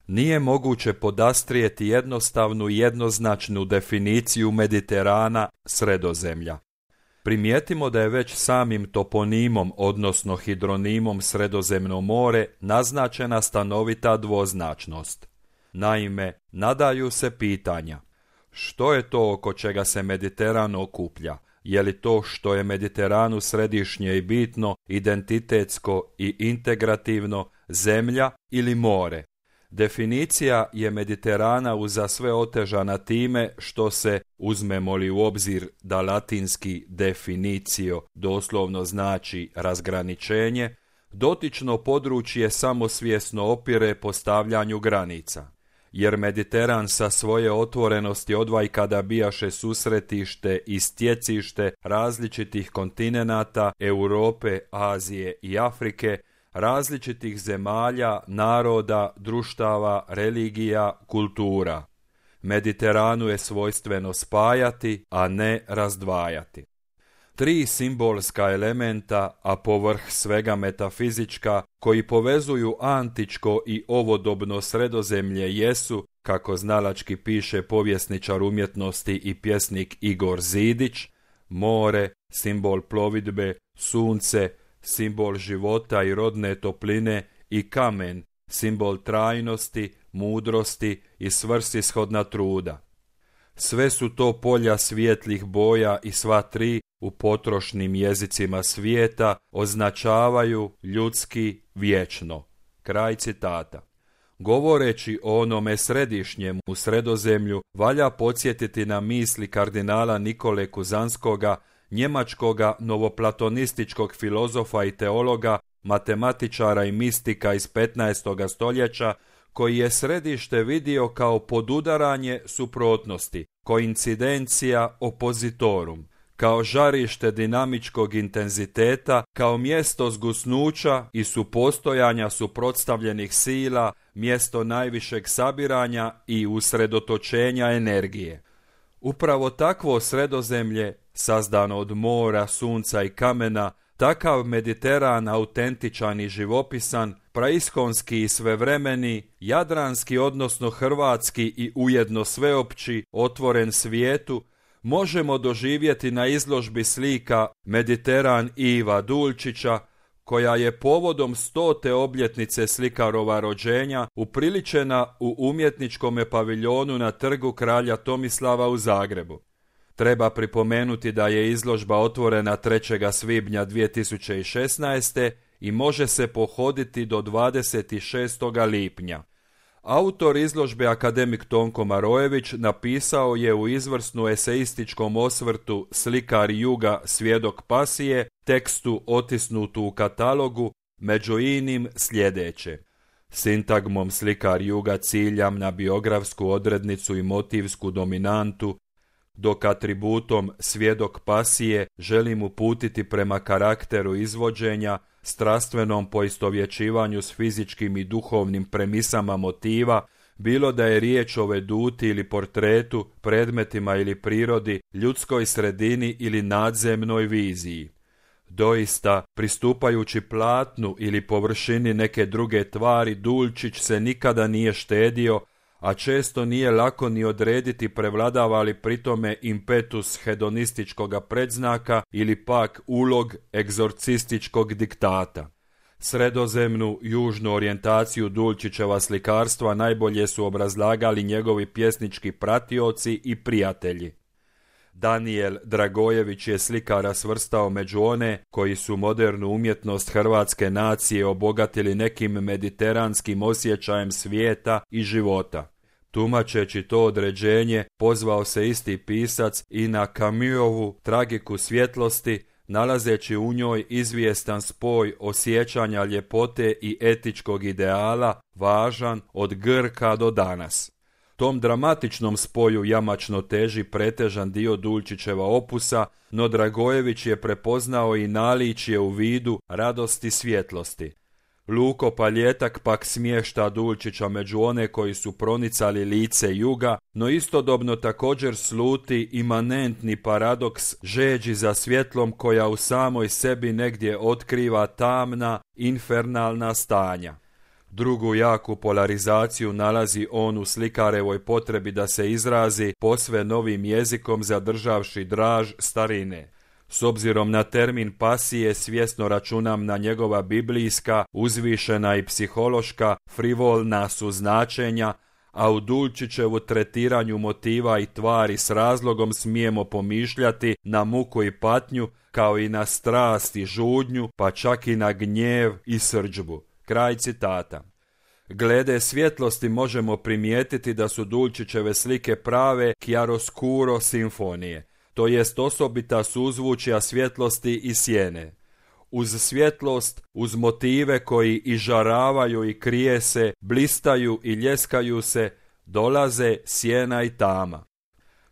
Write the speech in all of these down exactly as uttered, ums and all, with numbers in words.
Nije moguće podastrijeti jednostavnu i jednoznačnu definiciju Mediterana, Sredozemlja. Primijetimo da je već samim toponimom, odnosno hidronimom Sredozemno more, naznačena stanovita dvoznačnost. Naime, nadaju se pitanja: što je to oko čega se Mediteran okuplja? Je li to što je Mediteranu središnje i bitno, identitetsko i integrativno, zemlja ili more? Definicija je Mediterana uza sve otežana time što se, uzmemo li u obzir da latinski definicio doslovno znači razgraničenje, dotično područje samosvjesno opire postavljanju granica. Jer Mediteran sa svoje otvorenosti odvajkada bijaše susretište i stjecište različitih kontinenata Europe, Azije i Afrike, različitih zemalja, naroda, društava, religija, kultura. Mediteranu je svojstveno spajati, a ne razdvajati. Tri simbolska elementa, a povrh svega metafizička, koji povezuju antičko i ovodobno Sredozemlje jesu, kako znalački piše povjesničar umjetnosti i pjesnik Igor Zidić, more, simbol plovidbe, sunce, simbol života i rodne topline, i kamen, simbol trajnosti, mudrosti i svrsishodna truda. Sve su to polja svijetlih boja i sva tri, u potrošnim jezicima svijeta, označavaju ljudski vječno. Kraj citata. Govoreći o onome središnjem u Sredozemlju, valja podsjetiti na misli kardinala Nikole Kuzanskoga, njemačkoga novoplatonističkog filozofa i teologa, matematičara i mistika iz petnaestoga stoljeća, koji je središte vidio kao podudaranje suprotnosti, koincidencija oppositorum, kao žarište dinamičkog intenziteta, kao mjesto zgusnuća i supostojanja suprotstavljenih sila, mjesto najvišeg sabiranja i usredotočenja energije. Upravo takvo Sredozemlje, sazdano od mora, sunca i kamena, takav Mediteran autentičan i živopisan, praiskonski i svevremeni, jadranski odnosno hrvatski i ujedno sveopći, otvoren svijetu, možemo doživjeti na izložbi slika Mediteran Iva Dulčića, koja je povodom stote obljetnice slikarova rođenja upriličena u umjetničkome paviljonu na Trgu kralja Tomislava u Zagrebu. Treba pripomenuti da je izložba otvorena trećeg svibnja dvije tisuće šesnaeste. i može se pohoditi do dvadeset šestog lipnja. Autor izložbe akademik Tonko Marojević napisao je u izvrsnu eseističkom osvrtu Slikar juga, svjedok pasije, tekstu otisnutu u katalogu, među inim sljedeće. Sintagmom Slikar juga ciljam na biografsku odrednicu i motivsku dominantu, dok atributom svjedok pasije želim uputiti prema karakteru izvođenja, strastvenom poistovjećivanju s fizičkim i duhovnim premisama motiva, bilo da je riječ o veduti ili portretu, predmetima ili prirodi, ljudskoj sredini ili nadzemnoj viziji. Doista, pristupajući platnu ili površini neke druge tvari, Dulčić se nikada nije štedio, a često nije lako ni odrediti prevladava li pritome impetus hedonističkoga predznaka ili pak ulog egzorcističkog diktata. Sredozemnu južnu orijentaciju Dulčićeva slikarstva najbolje su obrazlagali njegovi pjesnički pratioci i prijatelji. Daniel Dragojević je slikara svrstao među one koji su modernu umjetnost hrvatske nacije obogatili nekim mediteranskim osjećajem svijeta i života. Tumačeći to određenje, pozvao se isti pisac i na Camusovu tragiku svjetlosti, nalazeći u njoj izvjestan spoj osjećanja ljepote i etičkog ideala, važan od Grka do danas. Tom dramatičnom spoju jamačno teži pretežan dio Dulčićeva opusa, no Dragojević je prepoznao i naličje u vidu radosti svjetlosti. Luko Paljetak pak smješta Dulčića među one koji su pronicali lice juga, no istodobno također sluti imanentni paradoks žeđi za svjetlom koja u samoj sebi negdje otkriva tamna, infernalna stanja. Drugu jaku polarizaciju nalazi on u slikarevoj potrebi da se izrazi posve novim jezikom zadržavši draž starine. S obzirom na termin pasije svjesno računam na njegova biblijska, uzvišena i psihološka, frivolna su značenja, a u Dulčićevu tretiranju motiva i tvari s razlogom smijemo pomišljati na muku i patnju, kao i na strast i žudnju, pa čak i na gnjev i srdžbu. Kraj citata. Glede svjetlosti možemo primijetiti da su Dulčićeve slike prave chiaroscuro simfonije, to jest osobita suzvučja svjetlosti i sjene. Uz svjetlost, uz motive koji i žaravaju i krije se, blistaju i ljeskaju se, dolaze sjena i tama.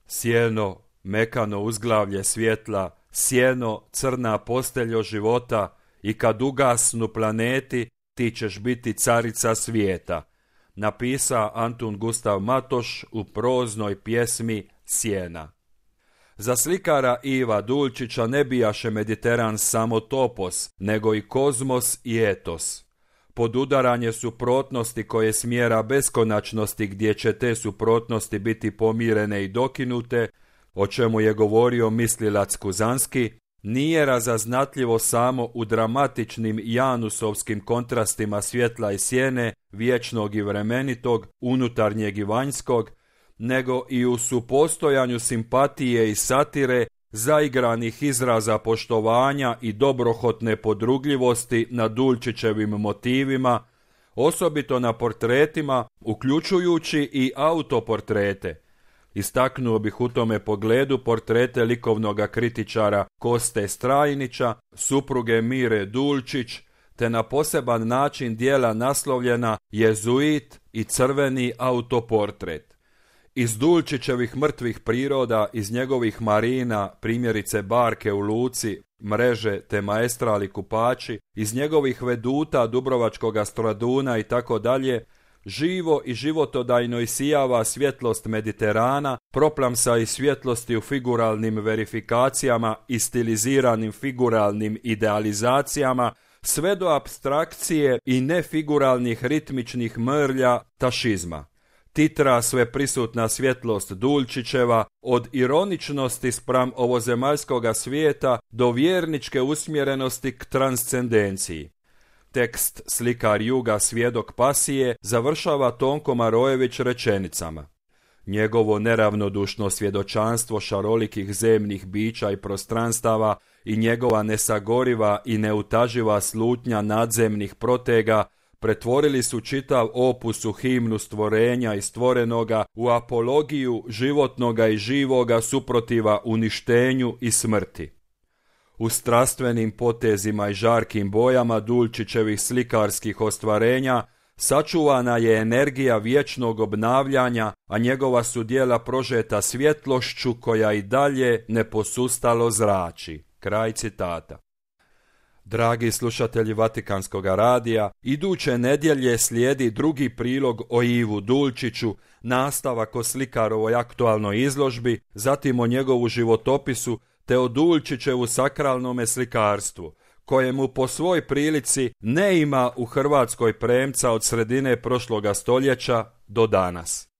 Sjeno, mekano uzglavlje svjetla, sjeno, crna posteljo života, i kad ugasnu planeti, ti ćeš biti carica svijeta. Napisa Antun Gustav Matoš u proznoj pjesmi Sjena. Za slikara Iva Dulčića ne bijaše Mediteran samo topos, nego i kozmos i etos. Podudaranje suprotnosti koje smjera beskonačnosti gdje će te suprotnosti biti pomirene i dokinute, o čemu je govorio mislilac Kuzanski, nije razaznatljivo samo u dramatičnim janusovskim kontrastima svjetla i sjene, vječnog i vremenitog, unutarnjeg i vanjskog, nego i u supostojanju simpatije i satire, zaigranih izraza poštovanja i dobrohotne podrugljivosti na Dulčićevim motivima, osobito na portretima, uključujući i autoportrete. Istaknuo bih u tome pogledu portrete likovnoga kritičara Koste Strajnića, supruge Mire Dulčić, te na poseban način dijela naslovljena Jezuit i crveni autoportret. Iz Dulčićevih mrtvih priroda, iz njegovih marina, primjerice barke u luci, mreže te maestrali kupači, iz njegovih veduta Dubrovačkoga Straduna i tako dalje, živo i životodajno isijava svjetlost Mediterana, proplamsa i svjetlosti u figuralnim verifikacijama i stiliziranim figuralnim idealizacijama, sve do apstrakcije i nefiguralnih ritmičnih mrlja tašizma. Titra sve prisutna svjetlost Dulčićeva, od ironičnosti spram ovozemaljskoga svijeta do vjerničke usmjerenosti k transcendenciji. Tekst Slikar juga, svjedok pasije završava Tonko Marojević rečenicama. Njegovo neravnodušno svjedočanstvo šarolikih zemnih bića i prostranstava i njegova nesagoriva i neutaživa slutnja nadzemnih protega pretvorili su čitav opus u himnu stvorenja i stvorenoga, u apologiju životnoga i živoga suprotiva uništenju i smrti. U strastvenim potezima i žarkim bojama Dulčićevih slikarskih ostvarenja sačuvana je energija vječnog obnavljanja, a njegova su djela prožeta svjetlošću koja i dalje neposustalo zrači. Kraj citata. Dragi slušatelji Vatikanskog radija, iduće nedjelje slijedi drugi prilog o Ivu Dulčiću, nastavak o slikarovoj aktualnoj izložbi, zatim o njegovu životopisu, te o Dulčićevu sakralnome slikarstvu, kojemu po svoj prilici ne ima u Hrvatskoj premca od sredine prošloga stoljeća do danas.